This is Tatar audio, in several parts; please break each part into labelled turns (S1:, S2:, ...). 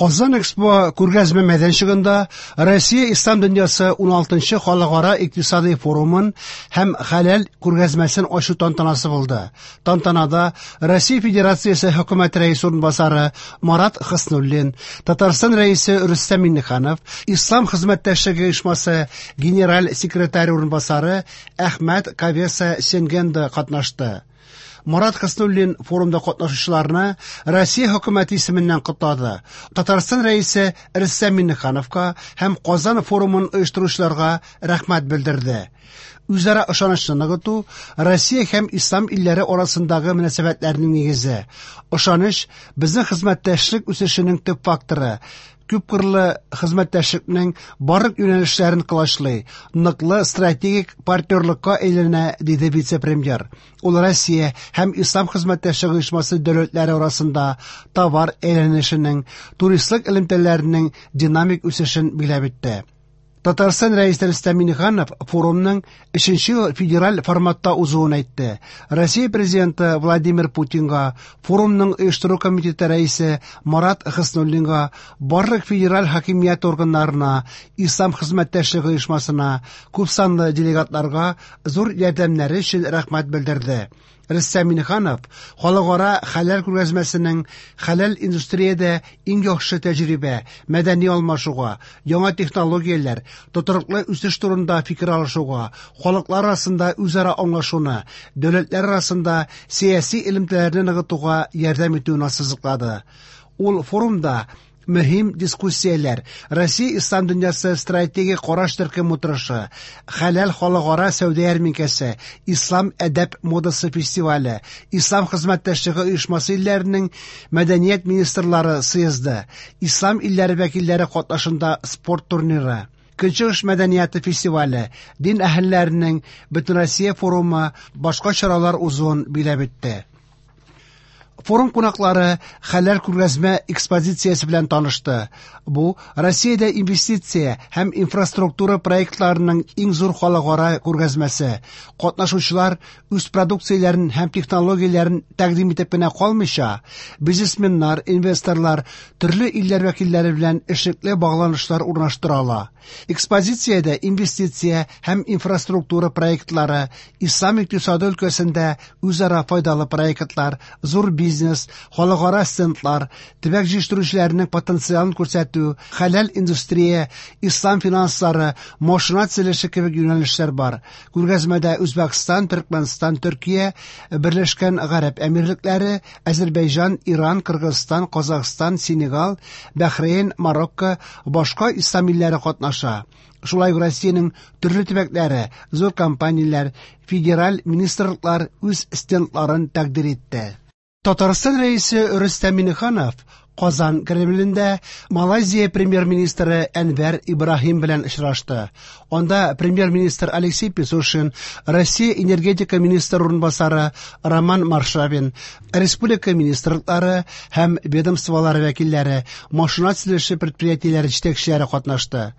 S1: Казан Экспо күргәзмә мәйданчыгында Россия Ислам дөньясы 16нчы халыкара икътисади форумын һәм хәләл күргәзмәсен ачу тантанасы булды. Тантанада Россия Федерациясе хөкүмәт рәисе урынбасары Марат Хөснуллин, Татарстан рәисе Рөстәм Миңнеханов, Ислам хезмәттәшлеге оешмасы генераль секретаре урынбасары Әхмәт Кавеса Сенгенда катнашты. Марат Хөснуллин форумда катнашучыларны Россия хөкүмәте исеменнән котлады. Татарстан рәисе Рөстәм Миңнехановка һәм Казан форумын оештыручыларга рәхмәт белдерде. Үзара ышанычны ныгыту Россия һәм ислам илләре арасындагы мөнәсәбәтләрнең нигезе. Ышаныч безнең хезмәттәшлек үсешенең төп факторы. Күпкырлы хезмәттәшлекнең барлык юнәлешләрен колачлый, ныклы стратегик партнерлыкка әйләнә, диде вице-премьер. Ул Россия һәм Ислам хезмәттәшлеге оешмасы дәүләтләре арасында товар әйләнешенең, туристлык элемтәләренең динамик үсешен билгеләп үтте. Татарстан рәисе Рөстәм Миңнеханов форумның өченче ел федераль форматта узуын әйтте. Россия президенты Владимир Путинга, форумның оештыру комитеты рәисе Марат Хөснуллинга, барлык федераль хакимият органнарына, Ислам хезмәттәшлеге оешмасына, күпсанлы делегатларга зур ярдәмнәре өчен рәхмәт белдерде. Рөстәм Миңнеханов халыкара хәләл күргәзмәсенең хәләл индустриядә иң яхшы тәҗрибә, мәдәни алмашуга, яңа технологияләр, тотрыклы үсеш турында фикер алышуга, халыклар арасында үзара аңлашуны, дәүләтләр арасында сәяси элемтәләрне ныгытуга ярдәм итүен ассызыклады. Ул форумда мөһим дискуссияләр, Россия Ислам дөньясы стратегик караш төркем утырышы, хәләл халыкара сәүдә ярминкәсе, Ислам әдәп модасы фестивале, Ислам хезмәттәшлеге оешмасы илләренең мәдәният министрлары съезды, Ислам илләре вәкилләре катнашында спорт турниры, Көнчыгыш мәдәнияте фестивале, дин әһелләренең Бөтенроссия форумы, башка чаралар узуын билгеләп үтте. Форум кунаклары хәләл күргәзмә экспозициясе белән танышты. Бу Россиядә инвестиция һәм инфраструктура проектларының иң зур халыкара күргәзмәсе. Катнашучылар үз продукцияләрен һәм технологияләрен тәкъдим итеп кенә калмыйча, бизнесменнар, инвесторлар, төрле илләр вәкилләре белән эшлекле багланышлар урнаштыра ала. Экспозициядә инвестиция һәм инфраструктура проектлары, ислам икътисады өлкәсендә үзара файдалы проектлар, зур бизнес, халыкара стендлар, төбәк җитештерүчеләренең потенциалын күрсәтү, хәләл индустрия, ислам финанслары, машина төзелеше кебек юнәлешләр бар. Күргәзмәдә Үзбәкстан, Төркмәнстан, Төркия, Берләшкән Гарәп Әмирлекләре, Әзербайҗан, Иран, Кыргызстан, Казахстан, Сенегал, Бәхрейн, Марокко, башка ислам илләре катнаша. Шулай ук Россиянең төрле төбәкләре, зур компанияләр, федераль министрлыклар үз стендларын тәкъдир итте. Татарстан рәисе Рөстәм Миңнеханов Казан Кремлендә Малайзия премьер-министры Әнвәр Ибраһим белән очрашты. Анда премьер-министр Алексей Песошин, Россия энергетика министры урынбасары Роман Маршавин, республика министрлыклары һәм ведомстволары вәкилләре, машина төзелеше предприятиеләре җитәкчеләре катнашты.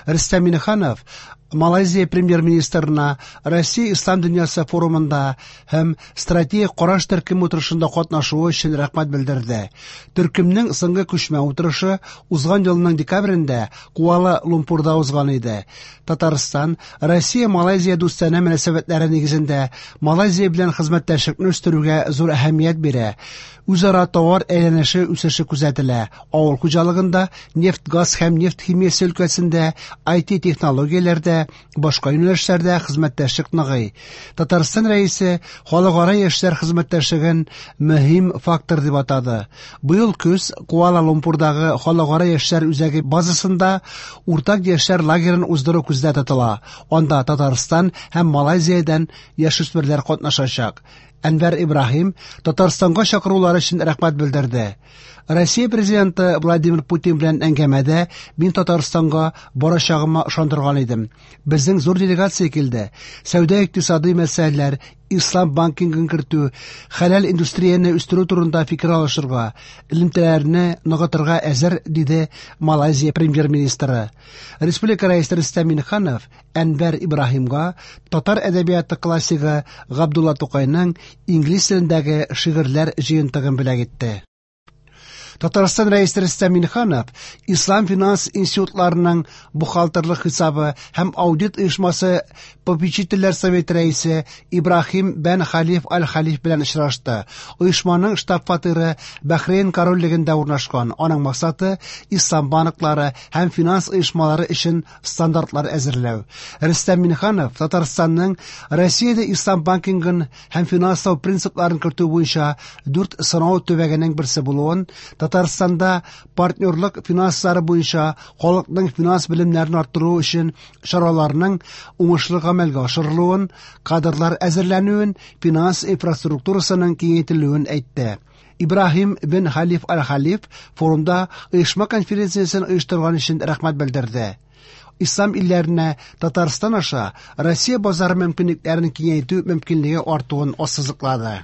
S1: Рөстәм Миңнеханов Малайзия премьер-министрына Россия Ислам дөньясы форумында һәм стратегик караш төркеме утырышында катнашуы өчен рәхмәт белдерде. Төркемнең соңгы күчмә утырышы узган елның декабрендә Куала-Лумпурда узган иде. Татарстан Россия-Малайзия дустанә мөнәсәбәтләре нигезендә Малайзия белән хезмәттәшлекне үстерүгә зур әһәмият бирә. Үзара товар әйләнеше үсеше күзәтелә. Авыл хуҗалыгында, нефть-газ һәм нефть химиясе өлкәсендә, IT технологияләрдә, башка юнәлешләрдә хезмәттәшлек ныгый. Татарстан рәисе халыкара яшьләр хезмәттәшлеген мөһим фактор дип атады. Быел көз Куала-Лумпурдагы халыкара яшьләр үзәге базасында уртак яшьләр лагерен уздыру күздә тотыла. Анда Татарстан һәм Малайзиядән яшүсмерләр катнашачак. Әнвәр Ибраһим Татарстанга чакырулары өчен рәхмәт белдерде. Россия президенты Владимир Путин белән әңгәмәдә мин Татарстанга барачагыма ышандырган идем. Безнең зур делегация килде. Сәүдә икътисади мәсьәләләр, ислам банкингын кертү, хәләл индустрияне үстерү турында фикер алышырга, элемтәләрне ныгытырга әзер, диде Малайзия премьер-министры. Республика рәисе Рөстәм Миңнеханов Әнвәр Ибраһимга татар әдәбияты классигы Габдулла Тукайның инглиз телендәге шигырьләр җыентыгын бүләк итте. Татарстан Рәисе Рөстәм Миңнеханов Ислам финанс институтларының бухгалтерлык хисабы һәм аудит оешмасы попечительләр советы рәисе Ибраһим бән Халиф Аль-Халиф белән очрашты. Оешманың штаб-фатиры Бәхрейн корольлегендә урнашкан. Аның максаты ислам банклары һәм финанс оешмалары өчен стандартлар әзерләү. Рөстәм Миңнеханов Татарстанның Россиядә ислам банкингын һәм финанслау принципларын кертү буенча дүрт сынау төбәгенең берсе булуын, Татарстанда партнерлык финанслары буенча халыкның финанс белемнәрен арттыру өчен чараларның уңышлы гамәлгә ашырылуын, кадрлар әзерләнүен, финанс инфраструктурасының киңәйтелүен әйтте. Ибраһим бен Халиф Аль-Халиф форумда оешма конференциясен оештырган өчен рәхмәт белдерде. Ислам илләренә Татарстан аша Россия базары мөмкинлекләрен киңәйтү мөмкинлеге артуын ассызыклады.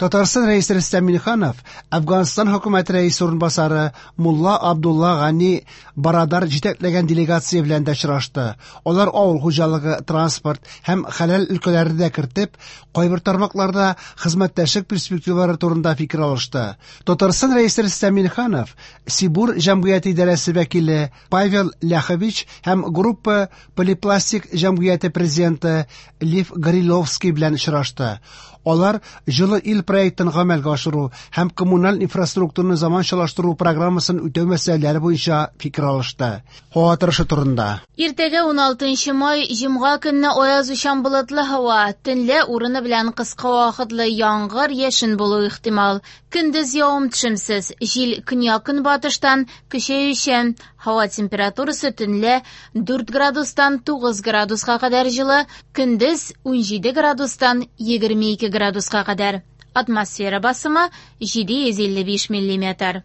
S1: Татарстан Рәисе Рөстәм Миңнеханов Әфганстан хөкүмәте рәисе урынбасары Мулла Абдулла Гани Барадар җитәкләгән делегация белән дә очрашты. Алар авыл хуҗалыгы, транспорт һәм хәләл өлкәләрен дә кертеп, кайбер тармакларда хезмәттәшлек перспективалары турында фикер алышты. Татарстан Рәисе Рөстәм Миңнеханов Сибур җәмгыяте идарәсе вәкиле Павел Ляхович һәм Группа Полипластик җәмгыяте президенты Лев Гориловский белән очрашты. Алар Җылы ил проектын гамәлгә ашыру һәм коммуналь инфраструктураны заманчалаштыру программасын үтәү мәсьәләләре буенча фикер алышты. Һава торышы турында.
S2: Иртәгә 16 май, җомга көнне аязучан болытлы һава, төнлә урыны белән кыска вакытлы яңгыр, яшен булуы ихтимал. Көндез явым-төшемсез, җил көньяк-көнбатыштан көчәючән. Һава температурасы төнлә 4 градустан 9 градуска кадәр җылы, көндез 17 градустан 22 градуска кадәр. Атмосфера басымы 755 миллиметр.